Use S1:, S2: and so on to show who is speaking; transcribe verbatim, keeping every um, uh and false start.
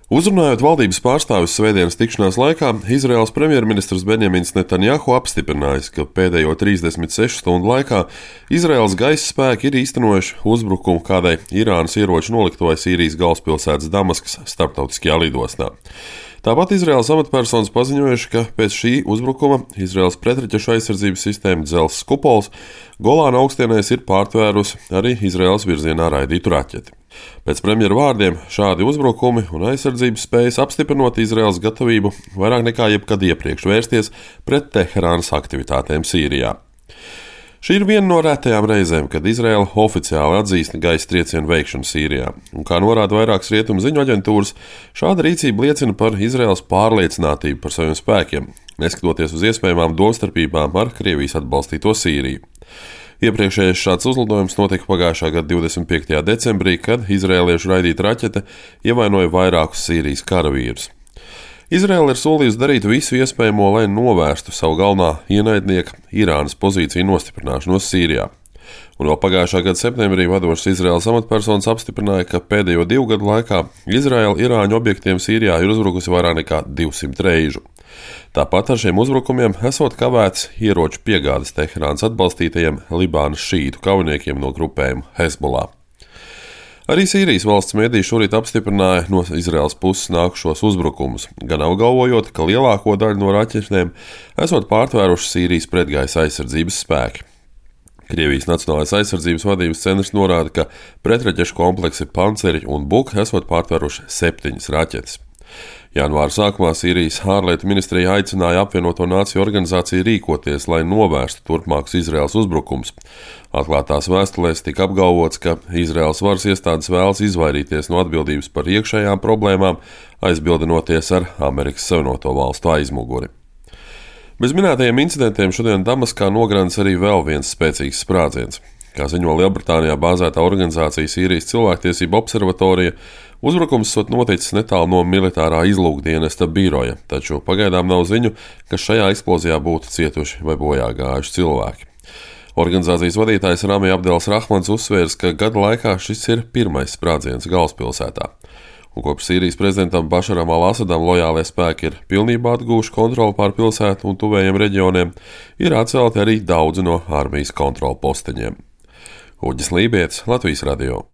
S1: Uzrunājot valdības pārstāvis svētdienas tikšanās laikā, Izraēlas premjerministrs Benjamins Netanjahu apstiprinājis, ka pēdējo trīsdesmit sešu stundu laikā Izraēlas gaisa spēki ir īstenojuši uzbrukumu kādai Irānas ieroču noliktavai Sīrijas galvaspilsētas Damaskas starptautiskajā lidostā. Tāpat Izraēlas amatpersonas paziņojuši, ka pēc šī uzbrukuma Izraēlas pretraķešu aizsardzības sistēma Dzelzs kupols Golāna augstienēs ir pārtvērusi arī Izraēlas virzienā raidītu raķeti. Pēc premjera vārdiem šādi uzbrukumi un aizsardzības spējas apstiprinot Izraēlas gatavību vairāk nekā jebkad iepriekš vērsties pret Teherānas aktivitātēm Sīrijā. Šī ir viena no retajām reizēm, kad Izraēla oficiāli atzīst gaisa triecienu veikšanu Sīrijā, un kā norāda vairākas rietumu ziņu aģentūras, šāda rīcība liecina par Izraēlas pārliecinātību par saviem spēkiem, neskatoties uz iespējamām domstarpībām ar Krievijas atbalstīto Sīriju. Iepriekšējais šāds uzlidojums notika pagājušā gada divdesmit piektajā decembrī, kad izraēliešu raidīta raķete ievainoja vairākus Sīrijas karavīrus. Izraēla ir solījusi darīt visu iespējamo, lai novērstu savu galvenā ienaidnieka Irānas pozīciju nostiprināšanos Sīrijā. Un vēl pagājušā gada septembrī vadošas Izraēlas amatpersonas apstiprināja, ka pēdējo divu gadu laikā Izraēla Irāņu objektiem Sīrijā ir uzbrukusi vairāk nekā divsimt reižu. Tāpat ar šiem uzbrukumiem esot kavēts ieroču piegādes Teherānas atbalstītajiem Libānas šītu kaujiniekiem no grupējuma Hezbollah. Arī Sīrijas valsts mediji šorīt apstiprināja no Izraēlas puses nākušos uzbrukumus, gan apgalvojot, ka lielāko daļu no raķetēm esot pārtvēruši Sīrijas pretgaisa aizsardzības spēki. Krievijas Nacionālais aizsardzības vadības centrs norāda, ka pretraķešu kompleksi Panceri un Buk esot pārtvēruši septiņas raķetes. Janvāra sākumā Sīrijas ārlietu ministrija aicināja apvienoto nāciju organizāciju rīkoties, lai novērstu turpmākus Izraēlas uzbrukums. Atklātās vēstulēs tika apgalvots, ka Izraēlas varas iestādes vēlas izvairīties no atbildības par iekšējām problēmām, aizbildinoties ar Amerikas Savienoto Valstu aizmuguri. Bez minētajiem incidentiem šodien Damaskā nogrāns arī vēl viens spēcīgs sprādziens. Kā ziņo Lielbritānijā bāzētā organizācija Sīrijas cilvēktiesību observatorija, uzbrukums sot noticis netālu no militārā izlūkdienesta biroja, taču pagaidām nav ziņu, ka šajā eksplozijā būtu cietuši vai bojā gājuši cilvēki. Organizācijas vadītājs Rami Abdels Rahmans uzsvērs, ka gada laikā šis ir pirmais sprādziens galvaspilsētā. Un kopš Sīrijas prezidentam Bašaram al-Asadam lojālie spēki ir pilnībā atgūši kontroli pār pilsētu un tuvējiem reģioniem, ir atcelti arī daudzi no armijas kontrolu posteņiem. Uģis Lībietis, Latvijas radio.